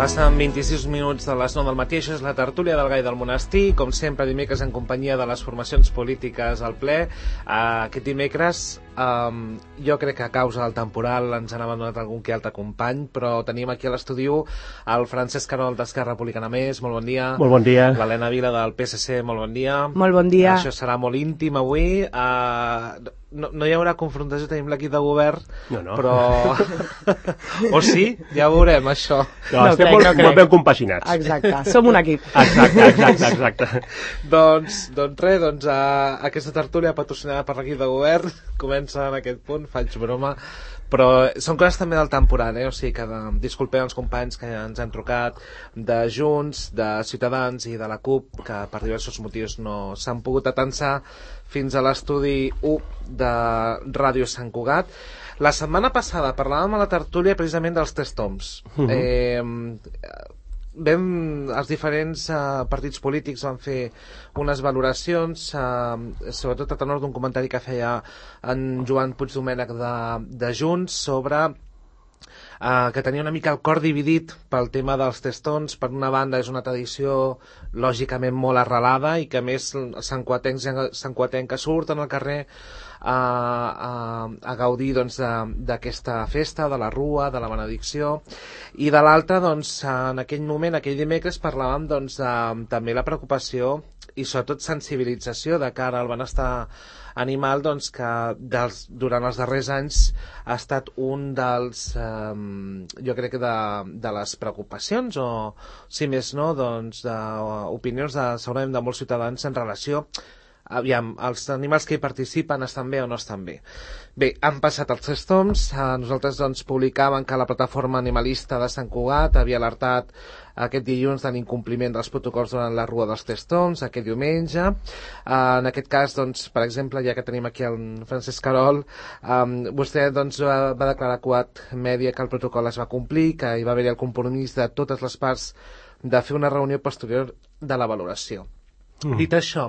Passen 26 minuts de les 9 del matí, això és la tertúlia del Gai del Monestir, com sempre dimecres en companyia de les formacions polítiques al ple. Aquest dimecres jo crec que a causa del temporal ens han abandonat algun que altre company, però tenim aquí a l'estudi el Francesc Carol d'Esquerra Republicana Més, molt bon dia. Molt bon dia. L'Helena Vila del PSC, molt bon dia. Molt bon dia. Això serà molt íntim avui. No hi haurà confrontació, tenim l'equip de govern, no. Però... o sí? Ja ho veurem, això. No, estem molt ben compassionats. Exacte, som un equip. Exacte. Doncs res, aquesta tertúlia patrocinada per l'equip de govern comença en aquest punt, faig broma, però són coses també del temporal, o sigui que disculpem els companys que ens han trucat de Junts, de Ciutadans i de la CUP, que per diversos motius no s'han pogut atansar fins a l'estudi 1 de Ràdio Sant Cugat. La setmana passada parlàvem a la tertúlia precisament dels tres toms. Els diferents partits polítics van fer unes valoracions, sobretot a tenor d'un comentari que feia en Joan Puigdomènech de Junts sobre que tenia una mica el cor dividit pel tema dels testons. Per una banda és una tradició lògicament molt arrelada i que a més santcuatencs surten al carrer a gaudir d'aquesta festa, de la rua, de la benedicció, i de l'altra en aquell moment, aquell dimecres, parlàvem també la preocupació i sobretot sensibilització de cara al benestar animal, que durant els darrers anys ha estat un dels jo crec que de les preocupacions o si més no d'opinions segurament de molts ciutadans en relació els animals que hi participen estan bé o no estan bé. Bé, han passat els tres toms. Nosaltres publicàvem que la plataforma animalista de Sant Cugat havia alertat aquest dilluns de l'incompliment dels protocols durant la rua dels tres toms, aquest diumenge. En aquest cas, per exemple, ja que tenim aquí el Francesc Carol, vostè va declarar a Cugat Mèdia que el protocol es va complir, que hi va haver el compromís de totes les parts de fer una reunió posterior de la valoració. Dit això,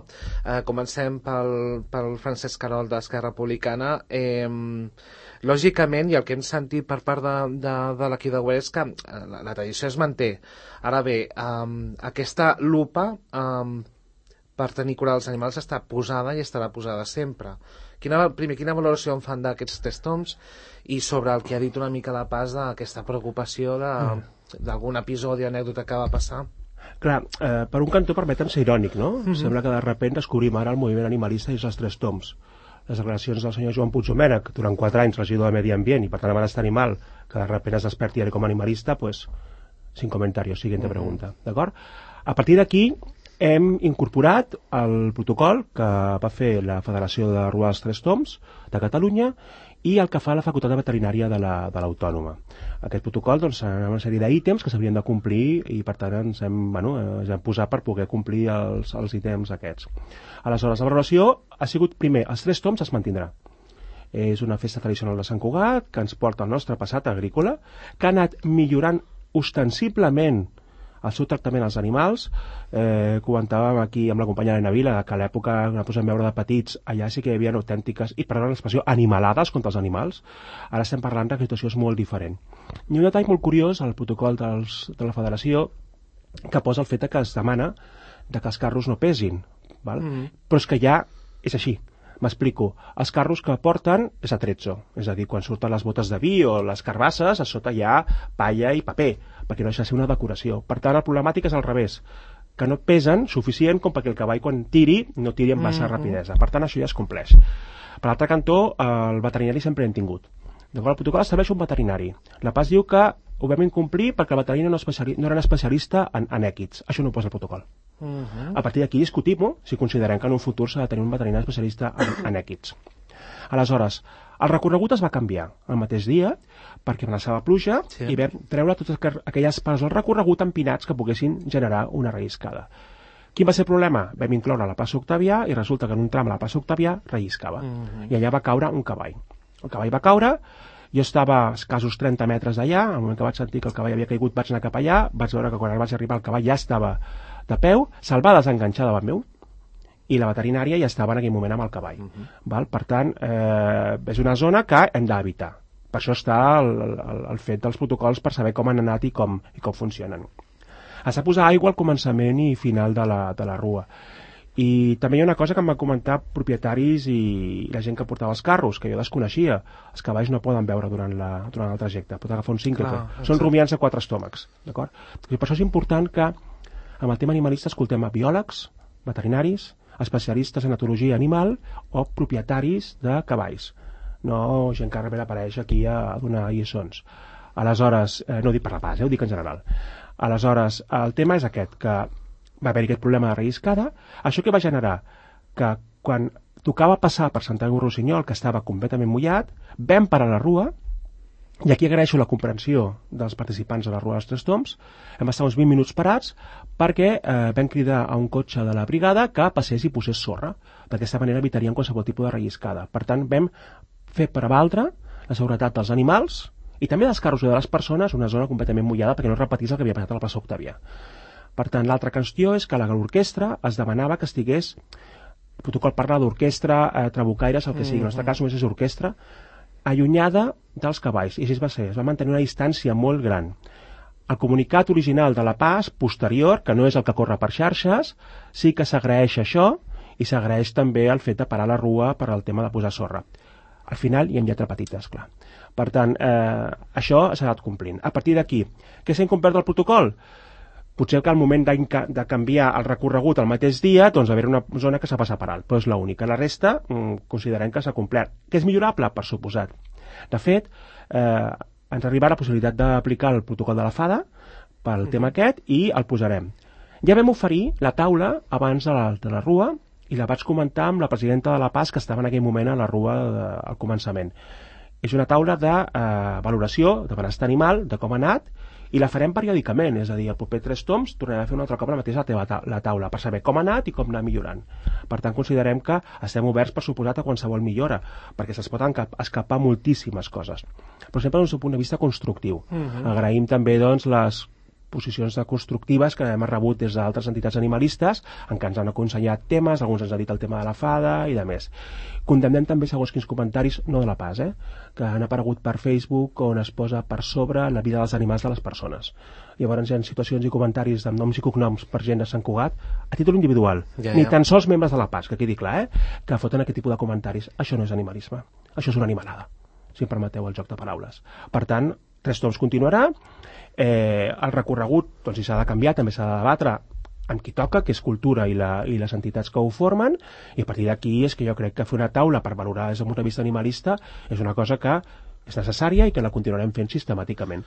comencem pel Francesc Carol d'Esquerra Republicana. Lògicament, i el que hem sentit per part de l'equip de govern és que la tradició es manté. Ara bé, aquesta lupa per tenir cura dels animals està posada i estarà posada sempre. Primer, quina valoració en fan d'aquests tres toms i sobre el que ha dit una mica la Paz d'aquesta preocupació d'algun episodi, anècdota que va passar? Clar, per un cantó permeten ser irònic, no? Sembla que de sobte descobrim ara el moviment animalista i els tres toms. Les declaracions del senyor Joan Puigdomènech, durant 4 anys regidor de Medi Ambient i per tant de benestar animal, que de sobte es desperti ara com a animalista, pues, sin comentarios, siguiente pregunta, d'acord? A partir d'aquí hem incorporat el protocol que va fer la Federació de Rua dels Tres Toms de Catalunya i el que fa la Facultat de Veterinària de l'Autònoma. Aquest protocol ha una sèrie d'ítems que s'haurien de complir i per tant ens hem posat per poder complir els ítems aquests. Aleshores, la valoració ha sigut, primer, els tres toms es mantindrà. És una festa tradicional de Sant Cugat que ens porta al nostre passat agrícola, que ha anat millorant ostensiblement el seu tractament als animals. Comentàvem aquí amb la companya Helena Vila que a l'època que ens vam veure de petits allà sí que hi havia autèntiques, i perdó l'expressió, animalades contra els animals. Ara estem parlant que la situació és molt diferent. Hi ha un detall molt curiós al protocol de la Federació que posa el fet que es demana que els carros no pesin, val? Però és que ja és així. M'explico. Els carros que porten és atrezzo, és a dir, quan surten les botes de vi o les carbasses, a sota hi ha palla i paper, perquè no deixa de ser una decoració. Per tant, la problemàtica és al revés, que no pesen suficient com perquè el cavall quan tiri no tiri amb massa rapidesa. Per tant, això ja es compleix. Per l'altre cantó, el veterinari sempre hem tingut. El protocol estableix un veterinari. La Paz diu que ho vam incomplir perquè el veterinari no era un especialista en èquids. Això no ho posa el protocol. A partir d'aquí discutim si considerem que en un futur s'ha de tenir un veterinari especialista en èquids. Aleshores, el recorregut es va canviar el mateix dia perquè amenaçava pluja i vam treure totes aquelles parts del recorregut empinats que poguessin generar una relliscada. Quin va ser el problema? Vam incloure la plaça Octavià i resulta que en un tram a la plaça Octavià relliscava i allà va caure un cavall. El cavall va caure, jo estava a escassos 30 metres d'allà, al moment que vaig sentir que el cavall havia caigut vaig anar cap allà, vaig veure que quan vaig arribar el cavall ja estava de peu, se'l va desenganxar davant meu i la veterinària ja estava en aquell moment amb el cavall. Per tant, és una zona que hem d'evitar. Per això està el fet dels protocols per saber com han anat i com funcionen. Has de posar aigua al començament i final de la rua. I també hi ha una cosa que em van comentar propietaris i la gent que portava els carros, que jo desconeixia. Els cavalls no poden beure durant el trajecte, pot agafar un síncope. Són rumiants de 4 estómacs, d'acord? I per això és important que amb el tema animalista escoltem a biòlegs, veterinaris, especialistes en etologia animal o propietaris de cavalls. No gent que ara apareix aquí a donar lliçons. Aleshores, no ho dic per la pas, ho dic en general. Aleshores, el tema és aquest, que va haver-hi aquest problema de relliscada. Això que va generar? Que quan tocava passar per Santanyí-Rossinyol, que estava completament mullat, vam parar la rua, i aquí agraeixo la comprensió dels participants de la Rua dels Tres Tombs, vam estar uns 20 minuts parats perquè vam cridar a un cotxe de la brigada que passés i posés sorra. D'aquesta manera evitaríem qualsevol tipus de relliscada. Per tant, vam fer prevaldre la seguretat dels animals i també dels carros i de les persones, una zona completament mullada perquè no repetís el que havia passat a la plaça Octavià. Per tant, l'altra qüestió és que l'orquestra es demanava que estigués, el protocol parla d'orquestra, trabucaires, el que sigui, en el nostre cas només és orquestra, allunyada dels cavalls, i així va ser, es va mantenir una distància molt gran. El comunicat original de la PAS, posterior, que no és el que corre per xarxes, sí que s'agraeix això, i s'agraeix també el fet de parar la rua per al tema de posar sorra. Al final hi ha lletra petita, esclar. Per tant, això s'ha anat complint. A partir d'aquí, què s'ha incomplert del protocol? Potser que al moment de canviar el recorregut el mateix dia, doncs haver una zona que s'ha passat per alt, però és l'única. La resta considerem que s'ha complert. Que és millorable? Per suposat. De fet, ens arriba la possibilitat d'aplicar el protocol de la FADA pel tema aquest i el posarem. Ja vam oferir la taula abans de la rua i la vaig comentar amb la presidenta de la PAS que estava en aquell moment a la rua al començament. És una taula de valoració de benestar animal, de com ha anat, i la farem periòdicament, és a dir, el proper 3 toms tornarem a fer un altre cop la mateixa la taula per saber com ha anat i com anar millorant. Per tant, considerem que estem oberts per suposat a qualsevol millora, perquè se'ls poden escapar moltíssimes coses. Però sempre des d'un punt de vista constructiu. Agraïm també doncs, les posicions constructives que hem rebut des d'altres entitats animalistes en què ens han aconsellat temes, alguns ens han dit el tema de la FADA i de més. Condemnem també segons quins comentaris, no de la PAS, que han aparegut per Facebook on es posa per sobre la vida dels animals de les persones. Llavors hi ha situacions i comentaris amb noms i cognoms per gent de Sant Cugat a títol individual, ni tan sols membres de la PAS, que quedi clar, que foten aquest tipus de comentaris. Això no és animalisme, això és una animalada, si em permeteu el joc de paraules. Per tant, 3 toms continuarà. El recorregut, doncs, si s'ha de canviar, també s'ha de debatre amb qui toca, que és cultura i les entitats que ho formen, i a partir d'aquí és que jo crec que fer una taula per valorar des del punt de vista animalista és una cosa que és necessària i que la continuarem fent sistemàticament.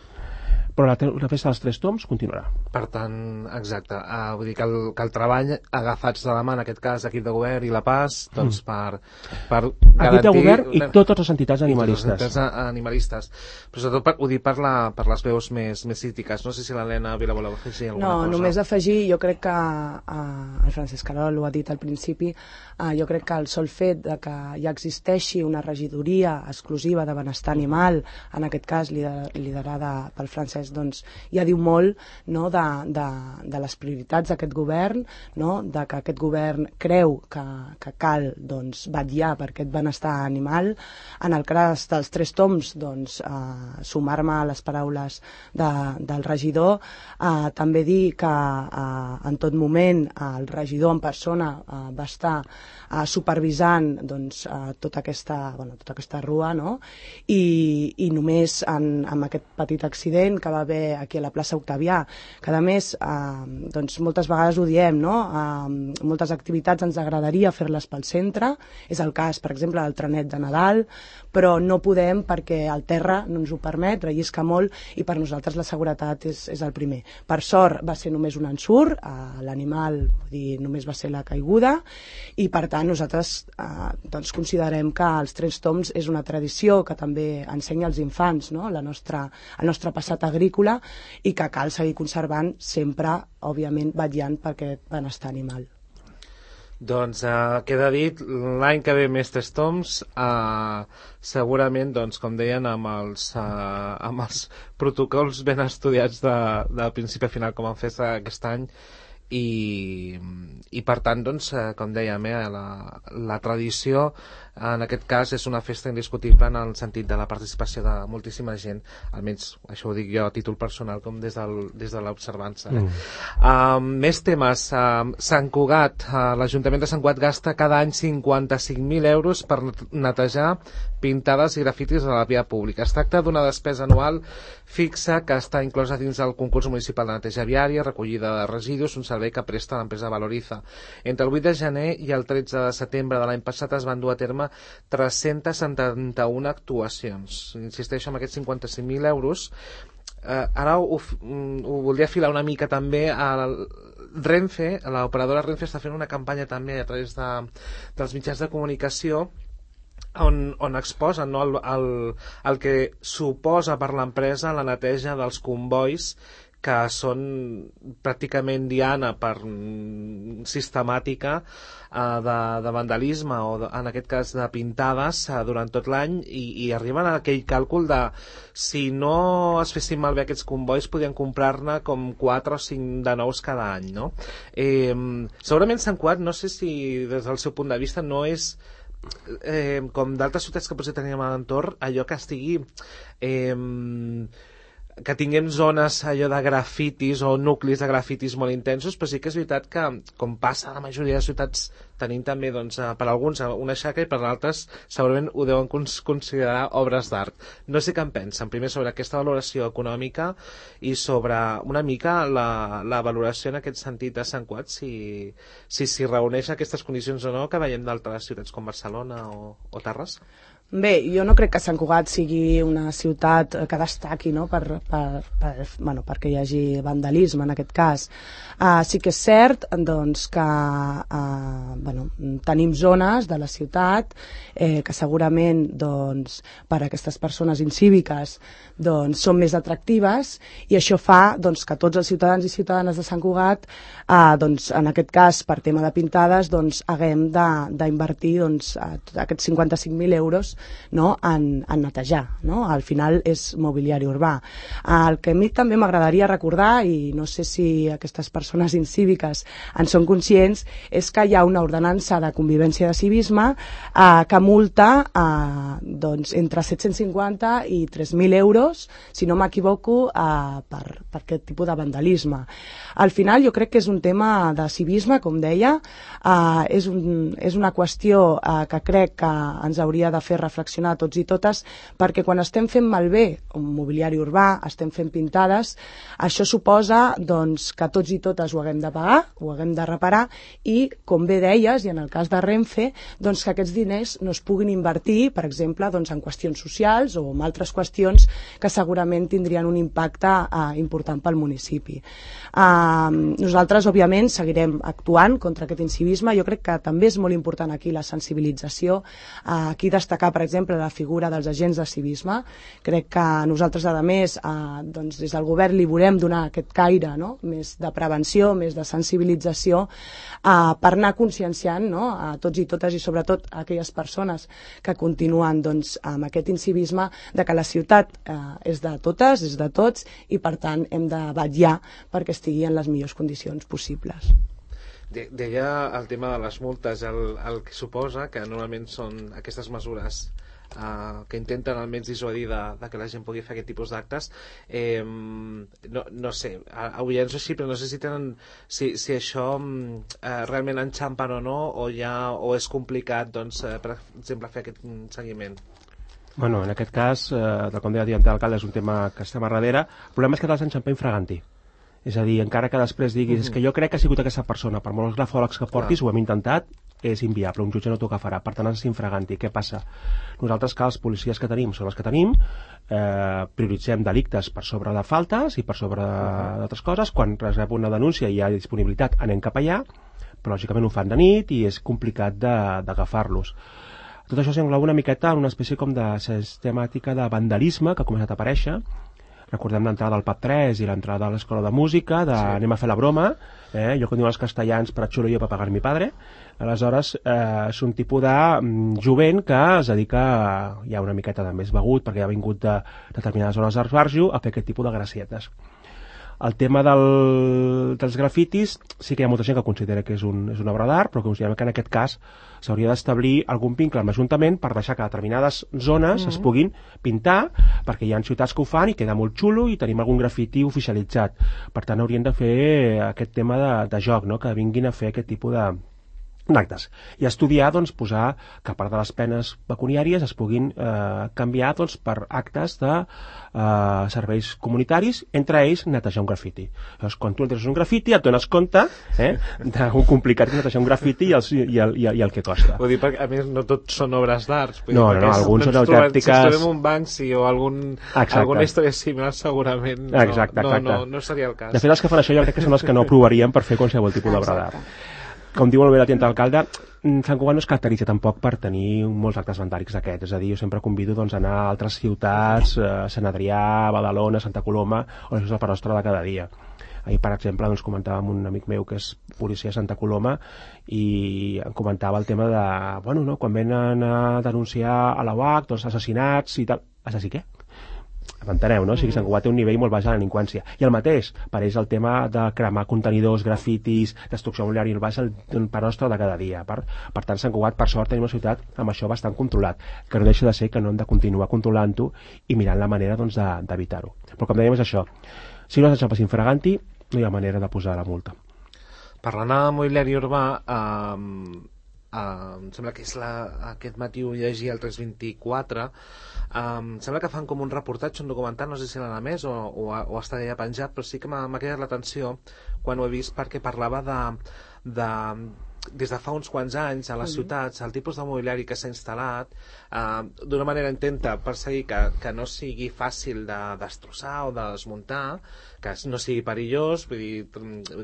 Però la festa dels 3 toms continuarà. Per tant, exacte, vull dir que el treball agafats de la mà, en aquest cas, equip de govern i la PAS, doncs per garantir... Equip de govern i totes les entitats animalistes. Però sobretot ho dic per les veus més crítiques. No sé si l'Helena Vila vol afegir alguna cosa. No, només afegir, jo crec que el Francesc Carol ho ha dit al principi, jo crec que el sol fet de que ja existeixi una regidoria exclusiva de benestar animal, en aquest cas liderada pel Francesc, doncs ja diu molt, no, de les prioritats d'aquest govern, no, de que aquest govern creu que cal, doncs, vetllar per aquest benestar animal. En el cas dels 3 toms, doncs, sumar-me a les paraules del regidor, també dir que en tot moment el regidor en persona va estar supervisant, doncs, tota aquesta rua, no? I només amb aquest petit accident que va haver aquí a la plaça Octavià, que a més doncs moltes vegades ho diem, no? Moltes activitats ens agradaria fer-les pel centre, és el cas per exemple del trenet de Nadal, però no podem perquè el terra no ens ho permet, rellisca molt i per nosaltres la seguretat és el primer. Per sort va ser només un ensurt, l'animal només va ser la caiguda i per tant nosaltres doncs considerem que els 3 toms és una tradició que també ensenya als infants, no? El nostre passat agrícola i que cal seguir conservant sempre, òbviament, vetllant per aquest benestar animal. Doncs queda dit, l'any que ve més 3 toms, segurament, doncs, com deien, amb els protocols ben estudiats de principi a final, com han fet aquest any, i per tant, doncs, com dèiem, la tradició en aquest cas és una festa indiscutible en el sentit de la participació de moltíssima gent, almenys això ho dic jo a títol personal com des de l'observança. Més temes. Sant Cugat, l'Ajuntament de Sant Cugat gasta cada any 55.000 euros per netejar pintades i grafitis a la via pública. Es tracta d'una despesa anual fixa que està inclosa dins del concurs municipal de neteja viària, recollida de residus, un servei que presta l'empresa Valoriza. Entre el 8 de gener i el 13 de setembre de l'any passat es van dur a terme 371 actuacions. Insisteixo en aquests 55.000 euros. Ara ho voldria filar una mica també al Renfe. L'operadora Renfe està fent una campanya també a través dels mitjans de comunicació on exposen, no, el que suposa per l'empresa la neteja dels combois que són pràcticament diana sistemàtica de vandalisme o en aquest cas de pintades durant tot l'any i arriben a aquell càlcul de si no es fessin malbé aquests combois podien comprar-ne com 4 o 5 de nous cada any, no? Segurament Sant Cugat, no sé si des del seu punt de vista no és com d'altres ciutats que potser teníem a l'entorn, allò que estigui que tinguem zones allò de grafitis o nuclis de grafitis molt intensos, però sí que és veritat que, com passa a la majoria de ciutats, tenim també, doncs, per alguns una xacra i per altres segurament ho deuen considerar obres d'art. No sé què en pensen, primer sobre aquesta valoració econòmica i sobre una mica la valoració en aquest sentit de Sant Cugat, si reuneix aquestes condicions o no que veiem d'altres ciutats com Barcelona o Terrassa. Bé, jo no crec que Sant Cugat sigui una ciutat que destaqui, no? Perquè hi hagi vandalisme en aquest cas. Sí que és cert, doncs, que tenim zones de la ciutat que segurament, doncs, per a aquestes persones incíviques doncs, són més atractives i això fa, doncs, que tots els ciutadans i ciutadanes de Sant Cugat doncs, en aquest cas per tema de pintades doncs, haguem d'invertir doncs, aquests 55.000 euros, no, en netejar, no? Al final és mobiliari urbà. El que a mi també m'agradaria recordar, i no sé si aquestes persones incíviques en són conscients, és que hi ha una ordenança de convivència de civisme que multa doncs, entre 750 i 3.000 euros, si no m'equivoco, per aquest tipus de vandalisme. Al final jo crec que és un tema de civisme, com deia, és una qüestió que crec que ens hauria de fer reflexionar a tots i totes, perquè quan estem fent malbé un mobiliari urbà, estem fent pintades, això suposa doncs, que tots i totes ho haguem de pagar, ho haguem de reparar i, com bé deies, i en el cas de Renfe, doncs, que aquests diners no es puguin invertir, per exemple, doncs, en qüestions socials o en altres qüestions que segurament tindrien un impacte important pel municipi. Nosaltres, òbviament, seguirem actuant contra aquest incivisme. Jo crec que també és molt important aquí la sensibilització, aquí destacar, per exemple, la figura dels agents de civisme. Crec que nosaltres, a més, doncs, des del govern li volem donar aquest caire, no? Més de prevenció, més de sensibilització, per anar conscienciant, no? A tots i totes i sobretot a aquelles persones que continuen doncs, amb aquest incivisme de que la ciutat és de totes, és de tots i per tant hem de vetllar perquè estigui en les millors condicions possibles. Deia el tema de les multes, el que suposa que normalment són aquestes mesures que intenten almenys dissuadir de que la gent pugui fer aquest tipus d'actes. No sé, avui ja no sé així, però no sé si això realment enxampen o no, o és complicat, doncs, per exemple, fer aquest seguiment. Bueno, en aquest cas, com deia l'alcalde, és un tema que estem a darrere. El problema és que te'ls enxampen fragantí. És a dir, encara que després diguis que jo crec que ha sigut aquesta persona, per molts grafòlegs que portis, ho hem intentat, és inviable, un jutge no t'ho agafarà, per tant has infraganti. Què passa? Nosaltres, que els policies que tenim són els que tenim, prioritzem delictes per sobre de faltes i per sobre d'altres coses. Quan es rep una denúncia i hi ha disponibilitat anem cap allà, però lògicament ho fan de nit i és complicat d'agafar-los. Tot això s'engloba una miqueta en una espècie com de sistemàtica de vandalisme que ha començat a aparèixer. Recordem l'entrada al PAP 3 i l'entrada a l'escola de música, anem a fer la broma, jo quan diuen els castellans per xulo jo per pagar mi padre. Aleshores és un tipus de jovent que es dedica, ja una miqueta de més begut perquè ha vingut de determinades zones d'Esbarjo, a fer aquest tipus de gracietes. El tema dels grafitis, sí que hi ha molta gent que considera que és una obra d'art, però considerem que en aquest cas s'hauria d'establir algun vincle amb l'Ajuntament per deixar que determinades zones es puguin pintar, perquè hi ha ciutats que ho fan i queda molt xulo i tenim algun grafiti oficialitzat. Per tant, haurien de fer aquest tema de joc, no? Que vinguin a fer aquest tipus d'actes. I estudiar, doncs, posar que a part de les penes pecuniàries es puguin canviar doncs, per actes de serveis comunitaris, entre ells netejar un grafiti. Llavors, quan tu entres un grafiti et dones compte d'un complicat que netejar un grafiti i el que costa. Vull dir, perquè a més no tots són obres d'art. No, alguns són autèntiques... Si trobem un Banksy o alguna història similar, segurament no seria el cas. De fet, els que fan això jo crec que són els que no aprovarien per fer qualsevol tipus d'obra d'art. Com diu molt bé la tinta d'alcalde, Sant Cugat no es caracteritza tampoc per tenir molts actes vandàlics d'aquests, és a dir, jo sempre convido doncs, a anar a altres ciutats, a Sant Adrià, a Badalona, a Santa Coloma, o això és el panostre de cada dia. Ahir, per exemple, doncs, comentava amb un amic meu que és policia a Santa Coloma i em comentava el tema de, bueno, no, quan venen a denunciar a la UAC, doncs, assassinats i tal. Assassí què? M'enteneu, no? O sigui, Sant Cugat té un nivell molt baix de la delinqüència. I el mateix, per ells el tema de cremar contenidors, grafitis, destrucció mobiliària urbana és el panostre de cada dia. Per tant, Sant Cugat, per sort, tenim una ciutat amb això bastant controlat, que no deixa de ser que no hem de continuar controlant-ho i mirant la manera doncs, d'evitar-ho. Però com dèiem és això, si no s'enxampa infraganti, no hi ha manera de posar la multa. Parlant de mobiliari urbà, em sembla que és aquest matí ho llegia el 324, em sembla que fan com un reportatge, un documental, no sé si l'han emès o està ja penjat, però sí que m'ha cridat l'atenció quan ho he vist, perquè parlava des de fa uns quants anys a les ciutats, el tipus de mobiliari que s'ha instal·lat d'una manera intenta perseguir que no sigui fàcil de destrossar o de desmuntar, que no sigui perillós, vull dir,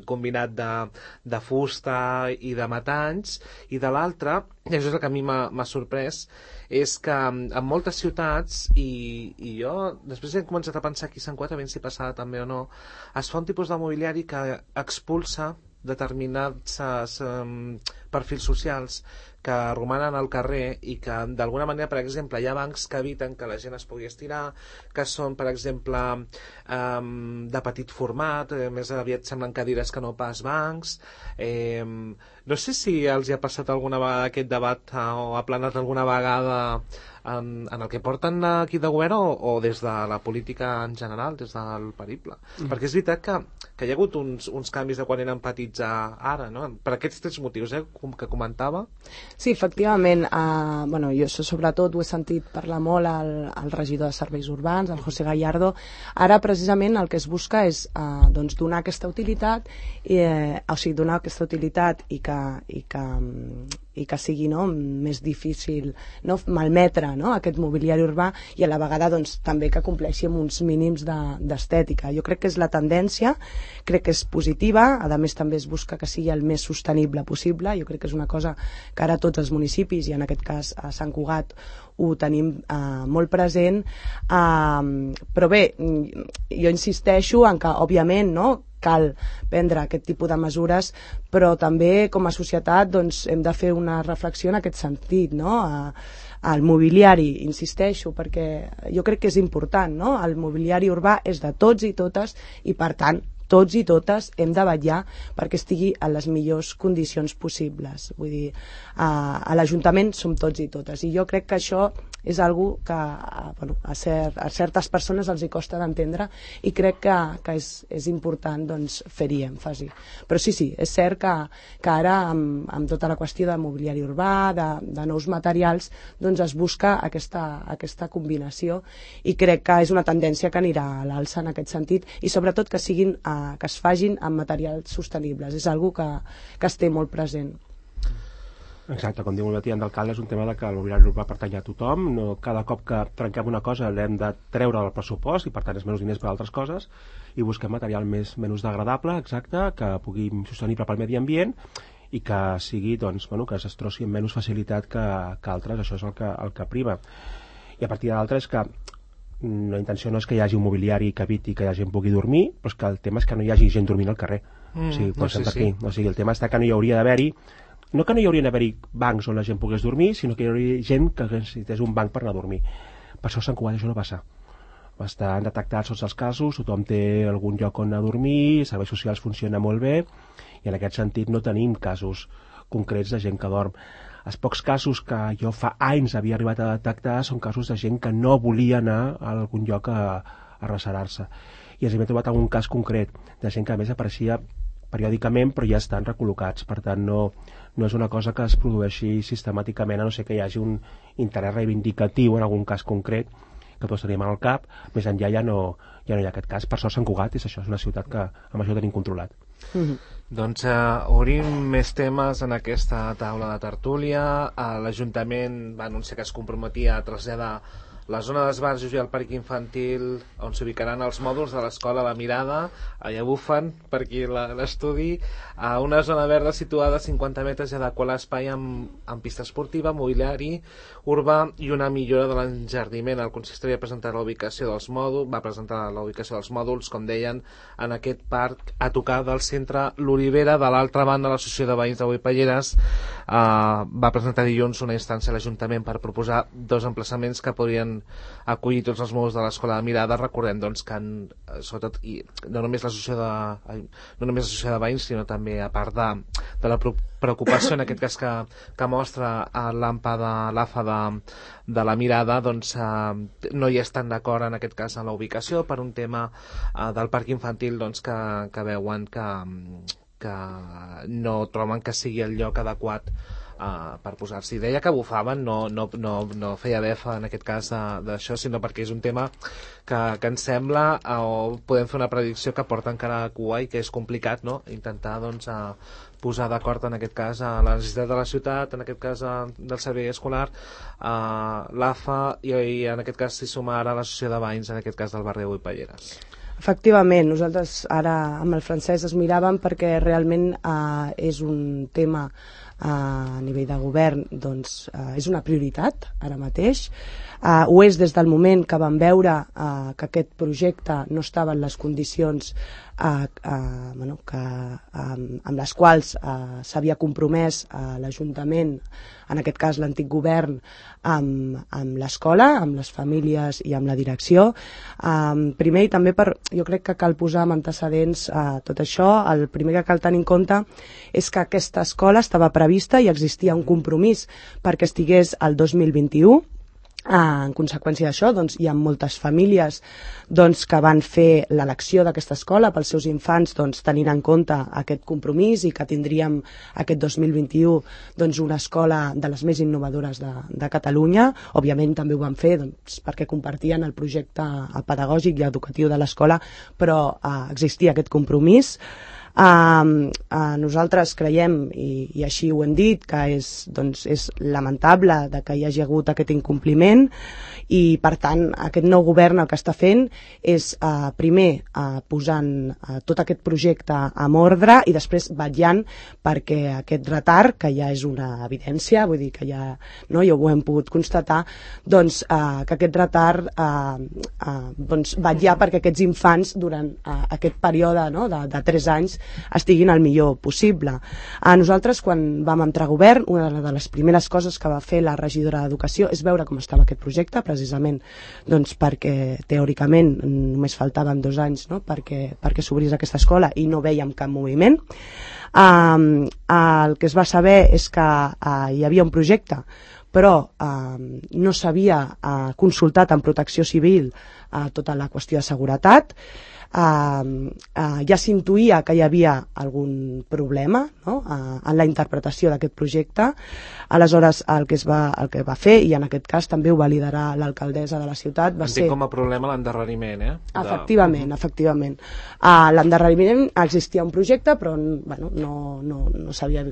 combinat de fusta i de metalls, i de l'altra, i això és el que a mi m'ha sorprès, és que en moltes ciutats, i jo després he començat a pensar aquí a Sant Cugat, a veure si passava també o no, es fa un tipus de mobiliari que expulsa determinats perfils socials que romanen al carrer i que d'alguna manera, per exemple, hi ha bancs que eviten que la gent es pugui estirar, que són, per exemple, de petit format, més aviat semblen cadires que no pas bancs. No sé si els hi ha passat alguna vegada aquest debat o ha planat alguna vegada en el que porten aquí de govern o des de la política en general, des del periple. Perquè és veritat que hi ha hagut uns canvis de quan eren petits a ara, no? Per aquests tres motius que comentava. Sí, efectivament. Jo això sobretot ho he sentit parlar molt al regidor de Serveis Urbans, el José Gallardo. Ara precisament el que es busca és donar aquesta utilitat, donar aquesta utilitat i que sigui més difícil malmetre aquest mobiliari urbà i a la vegada també que compleixi amb uns mínims d'estètica. Jo crec que és la tendència, crec que és positiva, a més també es busca que sigui el més sostenible possible. Jo crec que és una cosa que ara tots els municipis, i en aquest cas a Sant Cugat, ho tenim molt present, però bé, jo insisteixo en que òbviament cal prendre aquest tipus de mesures, però també com a societat hem de fer una reflexió en aquest sentit, el mobiliari, insisteixo, perquè jo crec que és important, el mobiliari urbà és de tots i totes i per tant tots i totes hem de vetllar perquè estigui en les millors condicions possibles. Vull dir, a l'Ajuntament som tots i totes, i jo crec que això és algo que a certes persones els hi costa d'entendre i crec que és important fer-hi èmfasi. Però sí, és cert que ara amb tota la qüestió de mobiliari urbà, de nous materials, es busca aquesta combinació i crec que és una tendència que anirà a l'alça en aquest sentit i sobretot que es facin amb materials sostenibles. És algo que es té molt present. Exacte, com diu el Tian d'alcalde, és un tema que el mobiliari urbà pertany a tothom. Cada cop que trenquem una cosa l'hem de treure del pressupost i per tant és menys diners per a altres coses i busquem material menys degradable, exacte, que pugui ser sostenible pel medi ambient i que sigui, que es destrossi amb menys facilitat que altres. Això és el que prima. I a partir de l'altre és que la intenció no és que hi hagi un mobiliari que eviti que la gent pugui dormir, però és que el tema és que no hi hagi gent dormint al carrer. El tema està que no hi hauria d'haver-hi, no que no hi haurien d'haver-hi bancs on la gent pogués dormir, sinó que hi hauria gent que necessités un banc per anar a dormir. Per això a Sant Cugat això no passa. estan detectats tots els casos, tothom té algun lloc on a dormir, serveis socials funciona molt bé, i en aquest sentit no tenim casos concrets de gent que dorm. Els pocs casos que jo fa anys havia arribat a detectar són casos de gent que no volia anar a algun lloc a recerar-se. I ens hem trobat algun cas concret de gent que a més apareixia periòdicament però ja estan recol·locats. Per tant, no és una cosa que es produeixi sistemàticament, a no ser que hi hagi un interès reivindicatiu en algun cas concret que tots tenim al cap. Més enllà ja no hi ha aquest cas. Per sort Sant Cugat és això, és una ciutat que amb això ho tenim controlat. Doncs obrim més temes en aquesta taula de tertúlia. L'Ajuntament va anunciar que es comprometia a traslladar la zona d'esbarjos i el parc infantil on s'ubicaran els mòduls de l'escola La Mirada, allà bufen per aquí l'estudi, a una zona verda situada a 50 metres i adequar l'espai amb pista esportiva, mobiliari urbà i una millora de l'enjardiment. El consistori va presentar la ubicació dels mòduls, com deien, en aquest parc a tocar del centre l'Olivera. De l'altra banda, l'Associació de Veïns de Boipelleres va presentar dilluns una instància a l'Ajuntament per proposar 2 emplaçaments que podrien acollir tots els mòduls de l'escola de Mirada. Recordem doncs, que sobretot, i no només l'associació de veïns, sinó també a part de la preocupació en aquest cas que mostra l'AFA de La Mirada, doncs no hi estan d'acord en aquest cas en la ubicació per un tema del parc infantil, doncs que veuen que no troben que sigui el lloc adequat per posar-s'hi. Deia que bufaven, no feia befa en aquest cas d'això, sinó perquè és un tema que ens sembla, o podem fer una predicció que porta encara a cua i que és complicat, no? Intentar doncs posar d'acord en aquest cas a la necessitat de la ciutat, en aquest cas del servei escolar, l'AFA i en aquest cas s'hi suma ara l'Associació de Veïns, en aquest cas del barri de Boipelleres. Efectivament, nosaltres ara amb el Francesc es miràvem perquè realment és un tema a nivell de govern, doncs és una prioritat ara mateix. Ho és des del moment que vam veure que aquest projecte no estava en les condicions amb les quals s'havia compromès l'Ajuntament, en aquest cas l'antic govern, amb l'escola, amb les famílies i amb la direcció. Primer, i també jo crec que cal posar en antecedents tot això. El primer que cal tenir en compte és que aquesta escola estava prevista i existia un compromís perquè estigués al 2021. En conseqüència d'això, doncs, hi ha moltes famílies que van fer l'elecció d'aquesta escola pels seus infants, tenint en compte aquest compromís i que tindríem aquest 2021 una escola de les més innovadores de Catalunya. Òbviament també ho van fer perquè compartien el projecte pedagògic i educatiu de l'escola, però existia aquest compromís. Nosaltres creiem, i així ho hem dit, que és lamentable que hi hagi hagut aquest incompliment, i per tant aquest nou govern el que està fent és primer posant tot aquest projecte en ordre i després vetllant perquè aquest retard, que ja és una evidència, vull dir que ja ho hem pogut constatar, que aquest retard vetllar perquè aquests infants durant aquest període de 3 anys estiguin el millor possible. Nosaltres, quan vam entrar a govern, una de les primeres coses que va fer la regidora d'Educació és veure com estava aquest projecte, precisament perquè teòricament només faltaven 2 anys perquè s'obrís aquesta escola i no vèiem cap moviment. El que es va saber és que hi havia un projecte, però no s'havia consultat amb Protecció Civil tota la qüestió de seguretat. Ja s'intuïa que hi havia algun problema en la interpretació d'aquest projecte. Aleshores el que va fer, i en aquest cas també ho va liderar l'alcaldessa de la ciutat, va ser... Entenc com a problema l'endarreriment, Efectivament. L'endarreriment, existia un projecte però no s'havia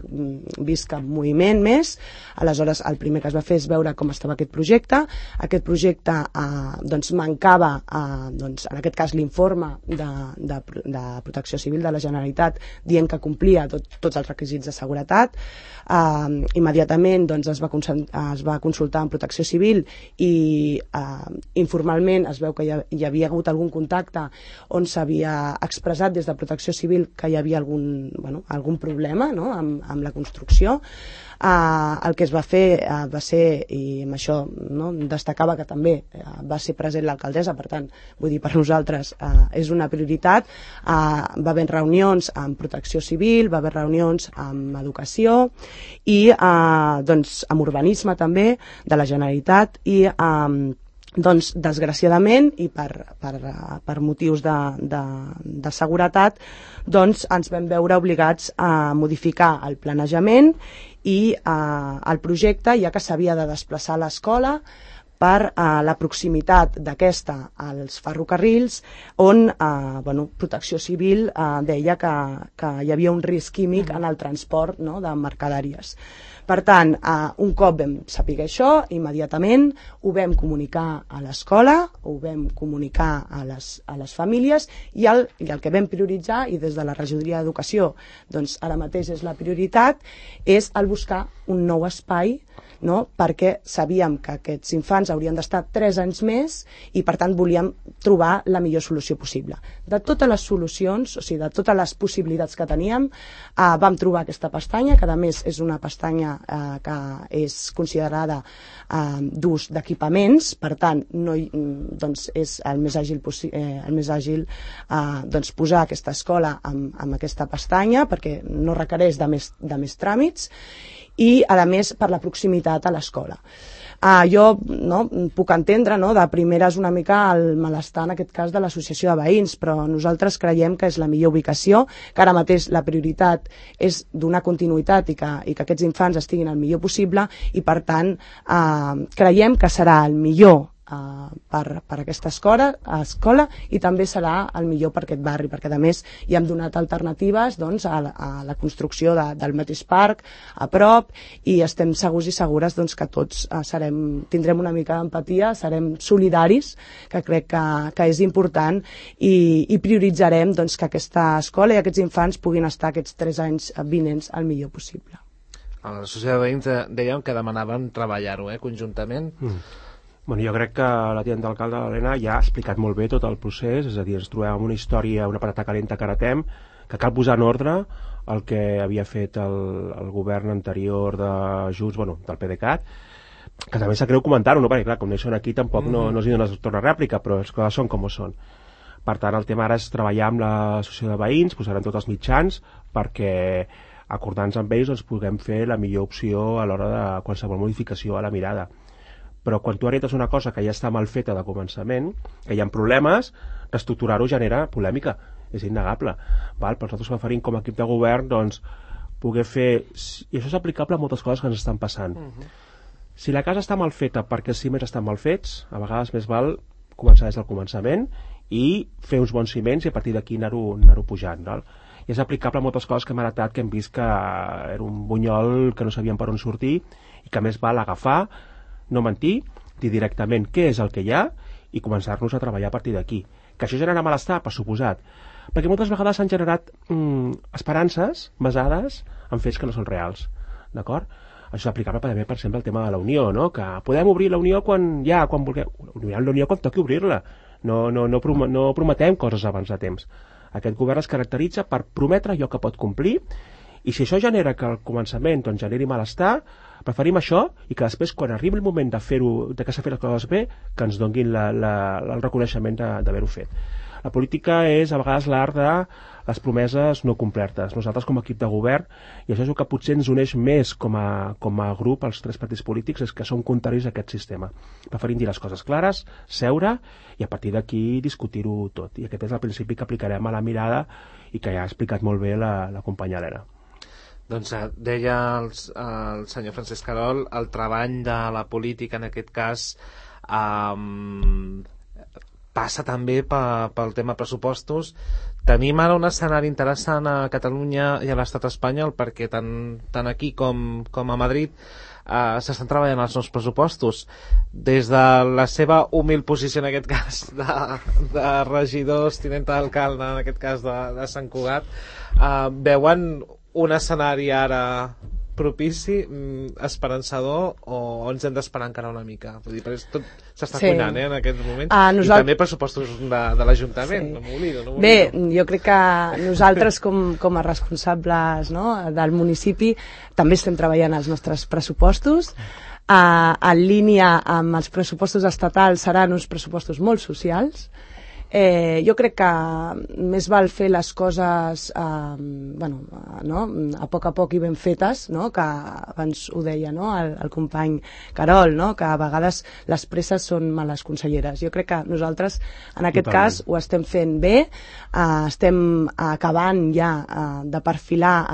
vist cap moviment més. Aleshores el primer que es va fer és veure com estava aquest projecte. Aquest projecte mancava en aquest cas l'informe de Protecció Civil de la Generalitat dient que complia tots els requisits de seguretat. Immediatament es va consultar amb Protecció Civil i informalment es veu que hi havia hagut algun contacte on s'havia expressat des de Protecció Civil que hi havia algun problema amb la construcció. el que es va fer va ser, i amb això destacava que també va ser present l'alcaldessa, per tant, vull dir, per nosaltres és una prioritat. Va haver reunions amb Protecció Civil, va haver reunions amb Educació i amb Urbanisme també de la Generalitat i doncs, desgraciadament i per motius de seguretat, doncs ens vam veure obligats a modificar el planejament i el projecte, ja que s'havia de desplaçar l'escola per la proximitat d'aquesta als ferrocarrils, on Protecció Civil deia que hi havia un risc químic en el transport de mercaderies. Per tant, un cop vam saber això, immediatament ho vam comunicar a l'escola, ho vam comunicar a les famílies i el que vam prioritzar, i des de la Regidoria d'Educació doncs ara mateix és la prioritat, és el buscar un nou espai, perquè sabíem que aquests infants haurien d'estar 3 anys més i per tant volíem trobar la millor solució possible. De totes les solucions, o sigui, de totes les possibilitats que teníem, vam trobar aquesta pestanya, que a més és una pestanya que és considerada d'ús d'equipaments, per tant doncs és el més àgil posar aquesta escola amb aquesta pestanya, perquè no requereix de més tràmits, i a més per la proximitat a l'escola. Jo puc entendre de primeres una mica el malestar en aquest cas de l'associació de veïns, però nosaltres creiem que és la millor ubicació, que ara mateix la prioritat és donar continuïtat i que aquests infants estiguin el millor possible i per tant creiem que serà el millor per aquesta escola i també serà el millor per aquest barri, perquè a més hi hem donat alternatives a la construcció del mateix parc a prop i estem segurs i segures que tots tindrem una mica d'empatia, serem solidaris, que crec que és important i prioritzarem que aquesta escola i aquests infants puguin estar aquests 3 anys vinents el millor possible. A l'associació de veïns dèiem que demanaven treballar-ho conjuntament. Bueno, jo crec que la tinent d'alcalde, l'Helena, ja ha explicat molt bé tot el procés, és a dir, ens trobem amb una història, una patata calenta que heretem, que cal posar en ordre el que havia fet el govern anterior de Junts, del PDeCAT, que també sap greu comentar-ho, perquè clar, com no hi són aquí tampoc no els hi dones torna rèplica, però les coses són com són. Per tant, el tema ara és treballar amb l'associació de veïns, posarem tots els mitjans perquè acordant-nos amb ells puguem fer la millor opció a l'hora de qualsevol modificació a la mirada. Però quan tu heretes una cosa que ja està mal feta de començament, que hi ha problemes, reestructurar-ho genera polèmica, és innegable. Per nosaltres preferim com a equip de govern poder fer, i això és aplicable a moltes coses que ens estan passant. Si la casa està mal feta perquè els ciments estan mal fets, a vegades més val començar des del començament i fer uns bons ciments i a partir d'aquí anar-ho pujant. I és aplicable a moltes coses que hem heretat, que hem vist que era un bunyol que no sabíem per on sortir i que més val agafar, no mentir, dir directament què és el que hi ha i començar-nos a treballar a partir d'aquí. Que això genera malestar, per suposat, perquè moltes vegades s'han generat esperances basades en fets que no són reals, d'acord? Això és aplicable també, per exemple, al tema de la Unió, que podem obrir la Unió quan vulguem. La Unió quan toqui obrir-la. No prometem coses abans de temps. Aquest govern es caracteritza per prometre allò que pot complir i si això genera que al començament generi malestar, preferim això i que després, quan arribi el moment de que s'ha fet les coses bé, que ens donguin el reconeixement d'haver-ho fet. La política és a vegades l'art de les promeses no complertes. Nosaltres com a equip de govern, i això és el que potser ens uneix més com a grup als 3 partits polítics, és que som contraris a aquest sistema. Preferim dir les coses clares, seure i a partir d'aquí discutir-ho tot. I aquest és el principi que aplicarem a la mirada i que ja ha explicat molt bé la companya Helena. Doncs deia el senyor Francesc Querol, el treball de la política en aquest cas passa també pel tema pressupostos. Tenim ara un escenari interessant a Catalunya i a l'estat espanyol perquè tant aquí com a Madrid s'estan treballant els nous pressupostos. Des de la seva humil posició en aquest cas de regidors, tinent d'alcalde en aquest cas de Sant Cugat, veuen un escenari ara propici, esperançador, o ens hem d'esperar encara una mica? Vull dir, perquè tot s'està cuinant en aquests moments, i també pressupostos de l'Ajuntament, no m'oblido. Bé, jo crec que nosaltres com a responsables, no, del municipi també estem treballant els nostres pressupostos. En línia amb els pressupostos estatals seran uns pressupostos molt socials. Jo crec que més val fer les coses a poc i ben fetes, no? Que abans ho deia, no? el company Carol, no? Que a vegades les presses són males conselleres. Jo crec que nosaltres en aquest cas ho estem fent bé, estem acabant ja de perfilar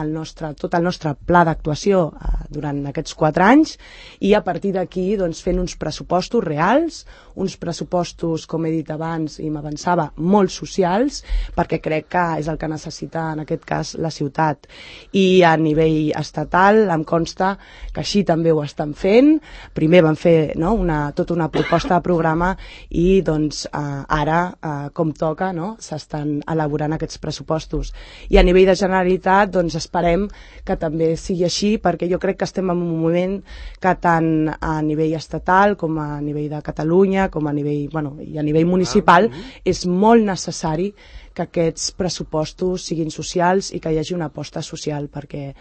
tot el nostre pla d'actuació durant aquests 4 anys, i a partir d'aquí doncs, fent uns pressupostos reals, uns pressupostos, com he dit abans i m'avançava, molt socials, perquè crec que és el que necessita en aquest cas la ciutat. I a nivell estatal em consta que així també ho estan fent. Primer van fer tota una proposta de programa i doncs ara, com toca, s'estan elaborant aquests pressupostos. I a nivell de Generalitat doncs esperem que també sigui així, perquè jo crec que estem en un moment que tant a nivell estatal com a nivell de Catalunya com a nivell, i a nivell municipal és molt necessari que aquests pressupostos siguin socials i que hi hagi una aposta social, perquè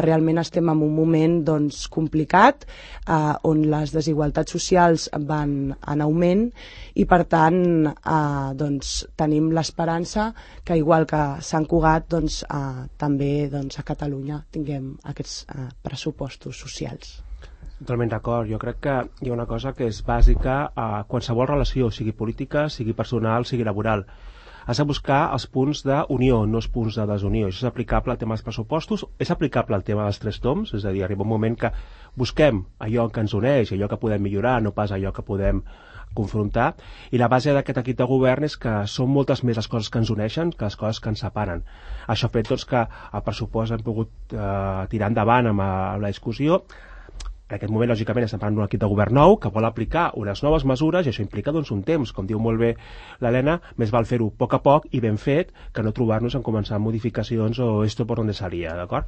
realment estem en un moment complicat on les desigualtats socials van en augment i per tant tenim l'esperança que igual que Sant Cugat també a Catalunya tinguem aquests pressupostos socials. Totalment d'acord. Jo crec que hi ha una cosa que és bàsica a qualsevol relació, sigui política, sigui personal, sigui laboral. Has de buscar els punts d'unió, no els punts de desunió. Això és aplicable al tema dels pressupostos, és aplicable al tema dels 3 toms, és a dir, arriba un moment que busquem allò que ens uneix, allò que podem millorar, no pas allò que podem confrontar, i la base d'aquest equip de govern és que són moltes més les coses que ens uneixen que les coses que ens separen. Això ha fet que el pressupost hem pogut tirar endavant amb la discussió. En aquest moment, lògicament, estem parlant d'un equip de govern nou que vol aplicar unes noves mesures i això implica un temps. Com diu molt bé l'Helena, més val fer-ho a poc i ben fet que no trobar-nos en començar modificacions o esto por donde salía, d'acord?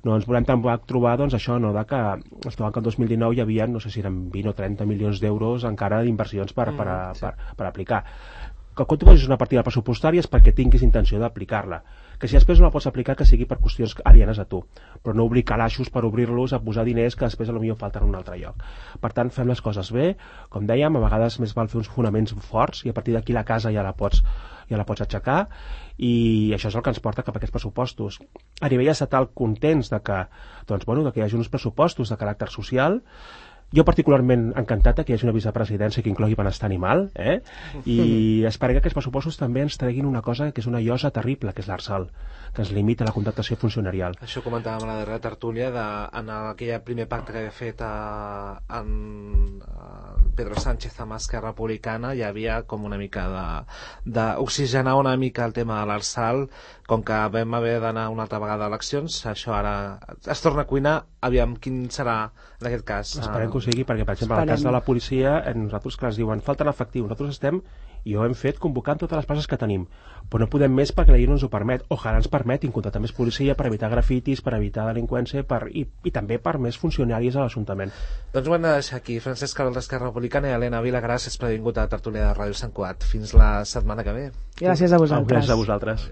No ens volem tampoc trobar, això, de que ens trobem que el 2019 hi havia, no sé si eren 20 o 30 milions d'euros encara d'inversions per aplicar. Que quan tu posis una partida pressupostària és perquè tinguis intenció d'aplicar-la. Que si després no la pots aplicar, que sigui per qüestions alienes a tu, però no obrir calaixos per obrir-los a posar diners que després potser falten en un altre lloc. Per tant, fem les coses bé, com dèiem, a vegades més val fer uns fonaments forts i a partir d'aquí la casa ja la pots aixecar, i això és el que ens porta cap a aquests pressupostos. A nivell estatal, contents de que hi hagi uns pressupostos de caràcter social. Jo particularment encantat que hi hagi una vicepresidència que inclogui benestar animal, i espero que aquests pressupostos també ens treguin una cosa que és una llosa terrible, que és l'Arsal, que ens limita la contractació funcionarial. Això comentàvem a la darrera tertúlia en aquell primer pacte que havia fet en Pedro Sánchez amb Esquerra Republicana. Hi havia com una mica d'oxigenar una mica el tema de l'Arsal. Com que vam haver d'anar una altra vegada a eleccions, això ara es torna a cuinar. Aviam quin serà en aquest cas. Esperem que ho sigui, perquè per exemple en el cas de la policia nosaltres, clar, ens diuen falten efectius, nosaltres estem, i ho hem fet convocant totes les places que tenim, però no podem més perquè la llei no ens ho permet. Ojalà ens permetin contractar més policia per evitar grafitis, per evitar delinqüència i també per més funcionaris a l'Ajuntament. Doncs ho hem de deixar aquí. Francesc Carol d'Esquerra Republicana i Helena Vila, gràcies per haver vingut a la tertúlia de Ràdio Sant Cugat. Fins la setmana que ve. Gràcies a vosaltres. Gràcies a vosaltres.